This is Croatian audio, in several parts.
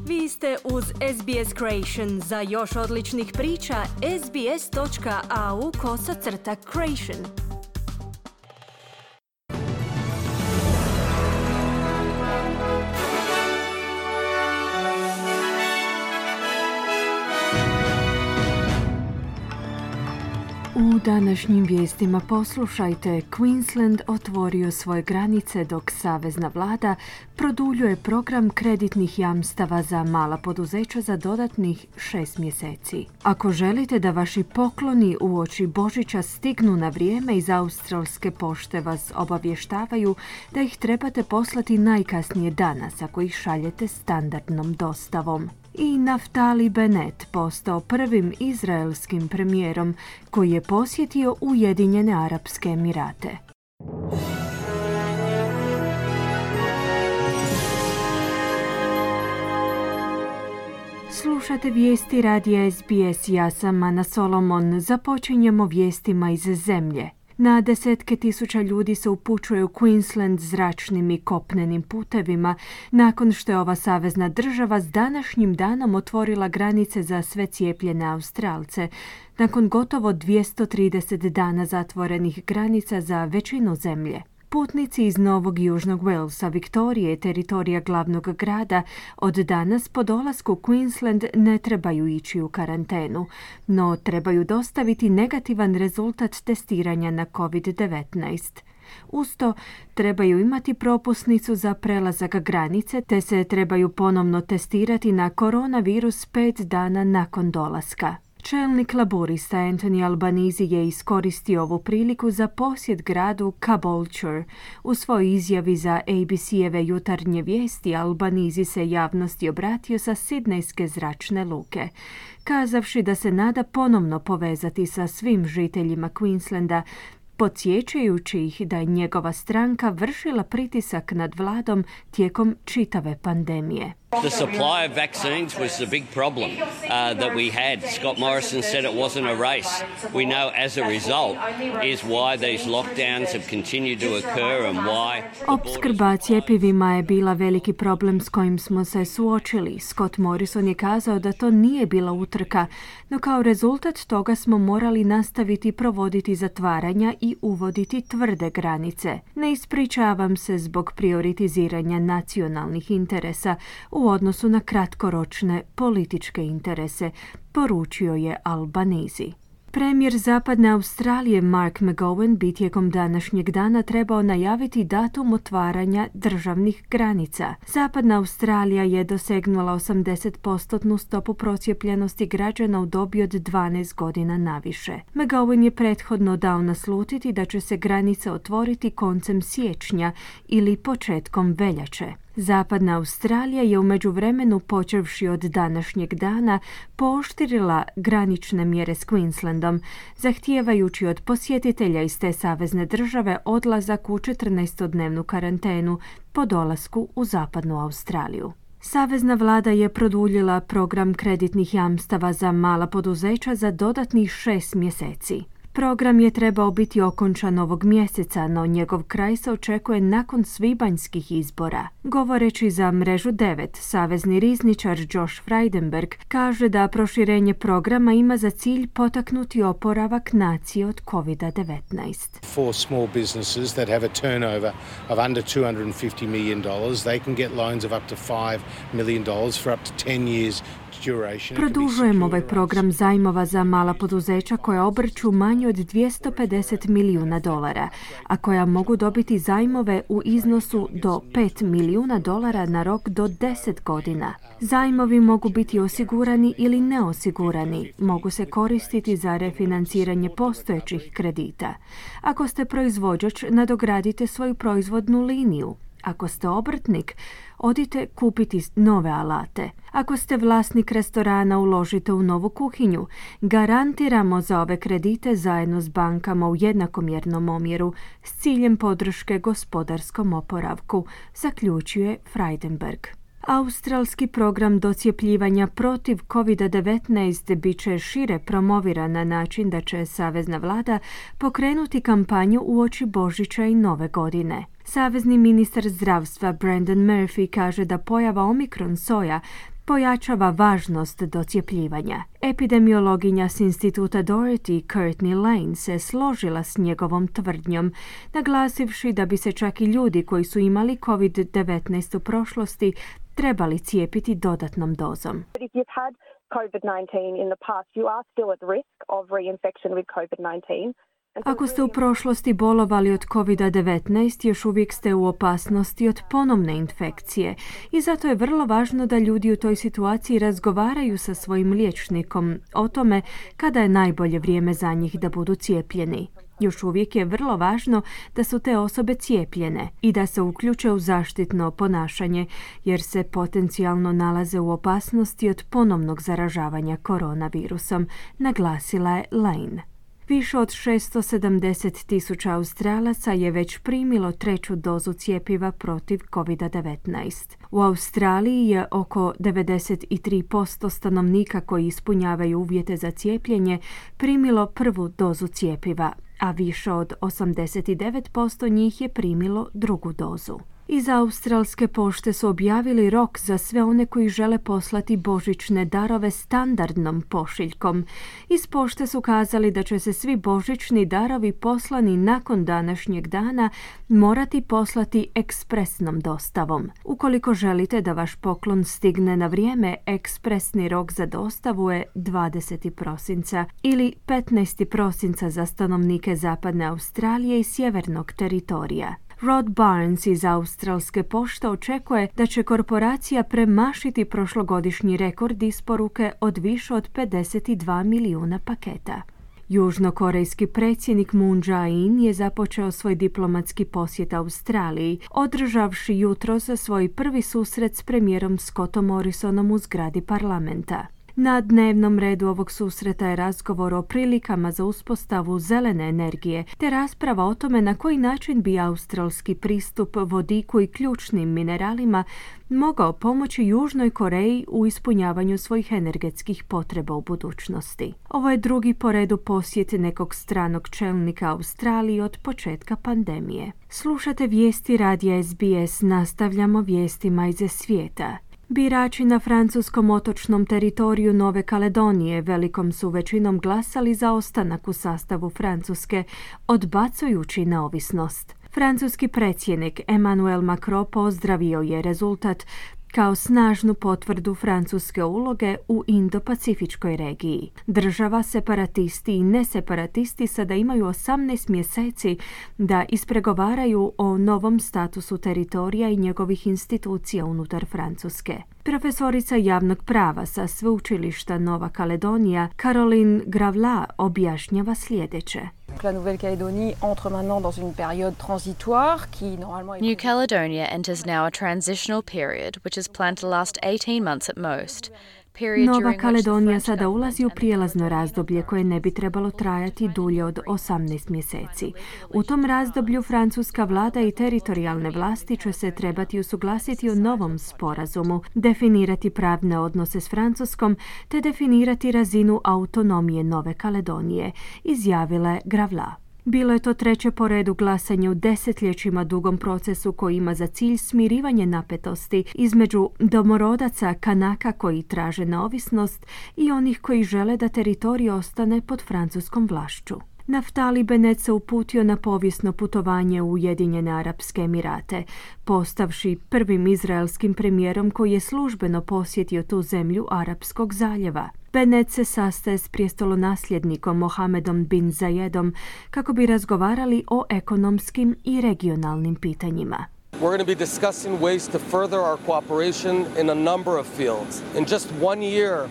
Vi ste uz SBS Creation. Za još odličnih priča, sbs.au/creation. U današnjim vijestima poslušajte, Queensland otvorio svoje granice dok savezna vlada produljuje program kreditnih jamstava za mala poduzeća za dodatnih 6 mjeseci. Ako želite da vaši pokloni uoči Božića stignu na vrijeme, iz australske pošte vas obavještavaju da ih trebate poslati najkasnije danas ako ih šaljete standardnom dostavom. I Naftali Bennett postao prvim izraelskim premijerom koji je posjetio Ujedinjene Arapske Emirate. Slušate vijesti radija SBS, ja sam Ana Solomon. Započinjemo vijestima iz zemlje. Na desetke tisuća ljudi se upućuje u Queensland zračnim i kopnenim putevima nakon što je ova savezna država s današnjim danom otvorila granice za sve cijepljene Australce, nakon gotovo 230 dana zatvorenih granica za većinu zemlje. Putnici iz Novog Južnog Walesa, Viktorije i teritorija glavnog grada od danas po dolasku u Queensland ne trebaju ići u karantenu, no trebaju dostaviti negativan rezultat testiranja na COVID-19. Uz to trebaju imati propusnicu za prelazak granice te se trebaju ponovno testirati na koronavirus 5 dana nakon dolaska. Čelnik laborista Anthony Albanese je iskoristio ovu priliku za posjet gradu Caboolture. U svojoj izjavi za ABC-eve jutarnje vijesti Albanese se javnosti obratio sa sidnejske zračne luke, kazavši da se nada ponovno povezati sa svim žiteljima Queenslanda, podsjećajući ih da je njegova stranka vršila pritisak nad vladom tijekom čitave pandemije. The supply of vaccines was the big problem that we had. Scott Morrison said it wasn't a race. We know as a result is why these lockdowns have continued to occur and why... Opskrba cjepivima je bila veliki problem s kojim smo se suočili. Scott Morrison je kazao da to nije bila utrka, no kao rezultat toga smo morali nastaviti provoditi zatvaranja i uvoditi tvrde granice. Ne ispričavam se zbog prioritiziranja nacionalnih interesa u odnosu na kratkoročne političke interese, poručio je Albanese. Premijer Zapadne Australije Mark McGowan bi tijekom današnjeg dana trebao najaviti datum otvaranja državnih granica. Zapadna Australija je dosegnula 80% stopu procijepljenosti građana u dobi od 12 godina naviše. McGowan je prethodno dao naslutiti da će se granice otvoriti koncem siječnja ili početkom veljače. Zapadna Australija je u međuvremenu, počevši od današnjeg dana, pooštrila granične mjere s Queenslandom, zahtijevajući od posjetitelja iz te savezne države odlazak u 14-dnevnu karantenu po dolasku u Zapadnu Australiju. Savezna vlada je produljila program kreditnih jamstava za mala poduzeća za dodatnih 6 mjeseci. Program je trebao biti okončan ovog mjeseca, no njegov kraj se očekuje nakon svibanjskih izbora. Govoreći za Mrežu 9, savezni rizničar Josh Frydenberg kaže da proširenje programa ima za cilj potaknuti oporavak nacije od COVID-19. For small businesses that have a turnover of under $250 million, they can get loans of up to $5 million for up to 10 years. Produžujemo ovaj program zajmova za mala poduzeća koja obrću manje od $250 milijuna, a koja mogu dobiti zajmove u iznosu do $5 milijuna na rok do 10 godina. Zajmovi mogu biti osigurani ili neosigurani, mogu se koristiti za refinanciranje postojećih kredita. Ako ste proizvođač, nadogradite svoju proizvodnu liniju. Ako ste obrtnik, odite kupiti nove alate. Ako ste vlasnik restorana, uložite u novu kuhinju. Garantiramo za ove kredite zajedno s bankama u jednakomjernom omjeru s ciljem podrške gospodarskom oporavku, zaključuje Frydenberg. Australski program docijepljivanja protiv COVID-19 bit će šire promoviran na način da će savezna vlada pokrenuti kampanju uoči Božića i Nove godine. Savezni ministar zdravstva Brendan Murphy kaže da pojava Omikron soja pojačava važnost docjepljivanja. Epidemiologinja s instituta Doherty Courtney Lane se složila s njegovom tvrdnjom, naglasivši da bi se čak i ljudi koji su imali COVID-19 u prošlosti trebali cijepiti dodatnom dozom. If you've had COVID-19 in the past, you are still at risk of reinfection with COVID-19. Ako ste u prošlosti bolovali od COVID-19, još uvijek ste u opasnosti od ponovne infekcije i zato je vrlo važno da ljudi u toj situaciji razgovaraju sa svojim liječnikom o tome kada je najbolje vrijeme za njih da budu cijepljeni. Još uvijek je vrlo važno da su te osobe cijepljene i da se uključe u zaštitno ponašanje, jer se potencijalno nalaze u opasnosti od ponovnog zaražavanja koronavirusom, naglasila je Lane. Više od 670,000 Australaca je već primilo 3. dozu cjepiva protiv COVID-19. U Australiji je oko 93% stanovnika koji ispunjavaju uvjete za cijepljenje primilo 1. dozu cjepiva, a više od 89% njih je primilo 2. dozu. Iz Australske pošte su objavili rok za sve one koji žele poslati božićne darove standardnom pošiljkom. Iz pošte su kazali da će se svi božićni darovi poslani nakon današnjeg dana morati poslati ekspresnom dostavom. Ukoliko želite da vaš poklon stigne na vrijeme, ekspresni rok za dostavu je 20. prosinca ili 15. prosinca za stanovnike Zapadne Australije i sjevernog teritorija. Rod Barnes iz Australske pošte očekuje da će korporacija premašiti prošlogodišnji rekord isporuke od više od 52 milijuna paketa. Južnokorejski predsjednik Moon Jae-in je započeo svoj diplomatski posjet Australiji, održavši jutros svoj prvi susret s premijerom Scottom Morrisonom u zgradi parlamenta. Na dnevnom redu ovog susreta je razgovor o prilikama za uspostavu zelene energije, te rasprava o tome na koji način bi australski pristup vodiku i ključnim mineralima mogao pomoći Južnoj Koreji u ispunjavanju svojih energetskih potreba u budućnosti. Ovo je drugi po redu posjet nekog stranog čelnika Australiji od početka pandemije. Slušate vijesti radija SBS, nastavljamo vijestima iz svijeta. Birači na francuskom otočnom teritoriju Nove Kaledonije velikom su većinom glasali za ostanak u sastavu Francuske, odbacujući neovisnost. Francuski predsjednik Emmanuel Macron pozdravio je rezultat kao snažnu potvrdu francuske uloge u Indo-Pacifičkoj regiji. Država, separatisti i neseparatisti sada imaju 18 mjeseci da ispregovaraju o novom statusu teritorija i njegovih institucija unutar Francuske. Profesorica javnog prava sa sveučilišta Nova Kaledonija, Caroline Gravla, objašnjava sljedeće. La Nouvelle-Calédonie entre maintenant dans une période transitoire qui normalement New Caledonia enters now a transitional period which is planned to last 18 months at most. Nova Kaledonija sada ulazi u prijelazno razdoblje koje ne bi trebalo trajati dulje od 18 mjeseci. U tom razdoblju francuska vlada i teritorijalne vlasti će se trebati usuglasiti o novom sporazumu, definirati pravne odnose s Francuskom te definirati razinu autonomije Nove Kaledonije, izjavila je Gravla. Bilo je to treće po redu glasanje u desetljećima dugom procesu koji ima za cilj smirivanje napetosti između domorodaca Kanaka koji traže neovisnost i onih koji žele da teritorij ostane pod francuskom vlašću. Naftali Bennett se uputio na povijesno putovanje u Ujedinjene Arapske Emirate, postavši prvim izraelskim premijerom koji je službeno posjetio tu zemlju Arapskog zaljeva. Bennett se sastaje s prijestolonasljednikom Mohamedom bin Zayedom kako bi razgovarali o ekonomskim i regionalnim pitanjima. We're going to be discussing ways to further our cooperation in a number of fields. In just 1 year,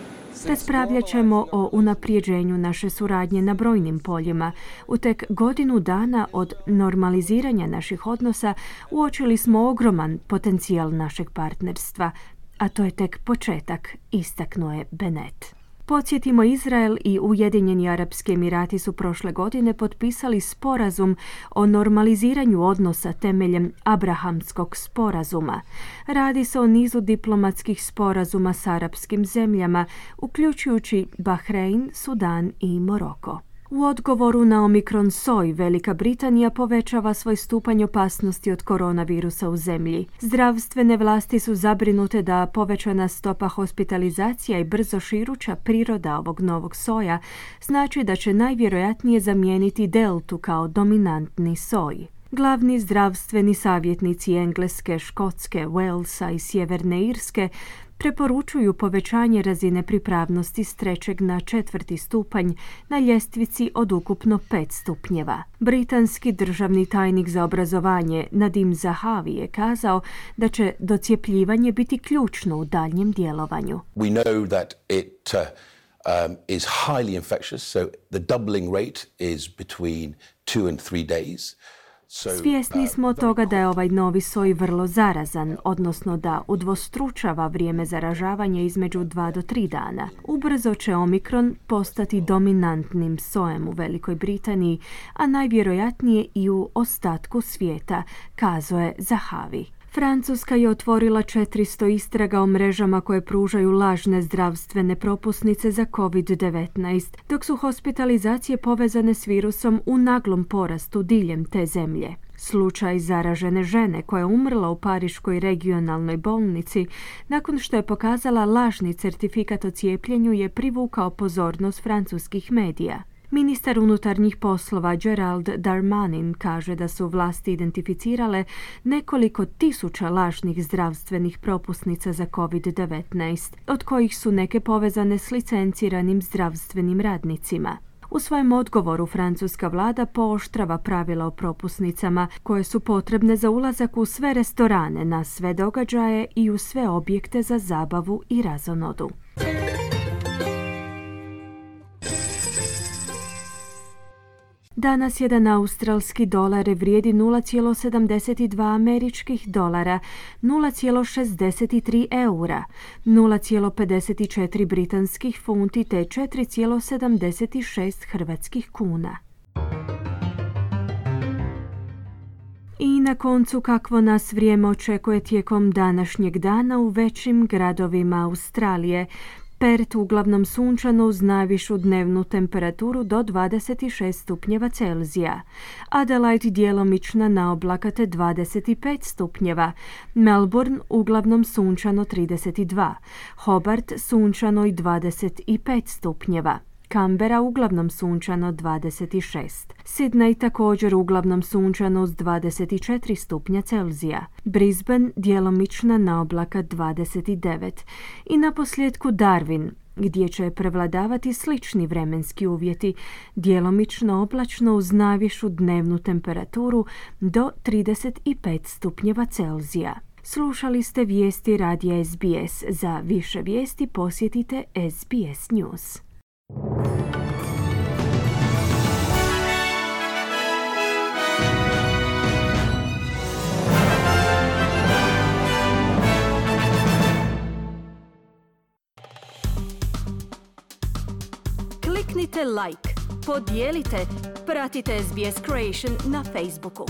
raspravljat ćemo o unaprijeđenju naše suradnje na brojnim poljima. U tek godinu dana od normaliziranja naših odnosa uočili smo ogroman potencijal našeg partnerstva, a to je tek početak, istaknuo je Bennett. Podsjetimo, Izrael i Ujedinjeni Arapski Emirati su prošle godine potpisali sporazum o normaliziranju odnosa temeljem Abrahamskog sporazuma. Radi se o nizu diplomatskih sporazuma s arapskim zemljama, uključujući Bahrein, Sudan i Moroko. U odgovoru na Omikron soj, Velika Britanija povećava svoj stupanj opasnosti od koronavirusa u zemlji. Zdravstvene vlasti su zabrinute da povećana stopa hospitalizacija i brzo širuća priroda ovog novog soja znači da će najvjerojatnije zamijeniti deltu kao dominantni soj. Glavni zdravstveni savjetnici Engleske, Škotske, Walesa i Sjeverne Irske preporučuju povećanje razine pripravnosti s 3. na 4. stupanj na ljestvici od ukupno 5 stupnjeva. Britanski državni tajnik za obrazovanje Nadim Zahavi je kazao da će docijepljivanje biti ključno u daljnjem djelovanju. We know that it is highly infectious, so the doubling rate is between 2 and 3 days. Svjesni smo toga da je ovaj novi soj vrlo zarazan, odnosno da udvostručava vrijeme zaražavanja između 2 do 3 dana. Ubrzo će Omikron postati dominantnim sojem u Velikoj Britaniji, a najvjerojatnije i u ostatku svijeta, kazao je Zahavi. Francuska je otvorila 400 istraga o mrežama koje pružaju lažne zdravstvene propusnice za COVID-19, dok su hospitalizacije povezane s virusom u naglom porastu diljem te zemlje. Slučaj zaražene žene koja je umrla u Pariškoj regionalnoj bolnici nakon što je pokazala lažni certifikat o cijepljenju je privukao pozornost francuskih medija. Ministar unutarnjih poslova Gerald Darmanin kaže da su vlasti identificirale nekoliko tisuća lažnih zdravstvenih propusnica za COVID-19, od kojih su neke povezane s licenciranim zdravstvenim radnicima. U svojem odgovoru francuska vlada pooštrava pravila o propusnicama koje su potrebne za ulazak u sve restorane, na sve događaje i u sve objekte za zabavu i razonodu. Danas jedan australski dolar vrijedi 0,72 američkih dolara, 0,63 eura, 0,54 britanskih funti te 4,76 hrvatskih kuna. I na koncu kakvo nas vrijeme očekuje tijekom današnjeg dana u većim gradovima Australije. Perth uglavnom sunčano uz najvišu dnevnu temperaturu do 26 stupnjeva Celzija. Adelaide djelomična na oblakate 25 stupnjeva. Melbourne uglavnom sunčano 32. Hobart sunčano i 25 stupnjeva. Canberra uglavnom sunčano 26. Sydney također uglavnom sunčano uz 24 stupnja Celzija. Brisbane djelomična na oblaka 29. I naposljetku Darwin, gdje će prevladavati slični vremenski uvjeti, djelomično oblačno uz najvišu dnevnu temperaturu do 35 stupnjeva Celzija. Slušali ste vijesti radija SBS. Za više vijesti posjetite SBS News. Kliknite like, podijelite, pratite SBS Creation na Facebooku.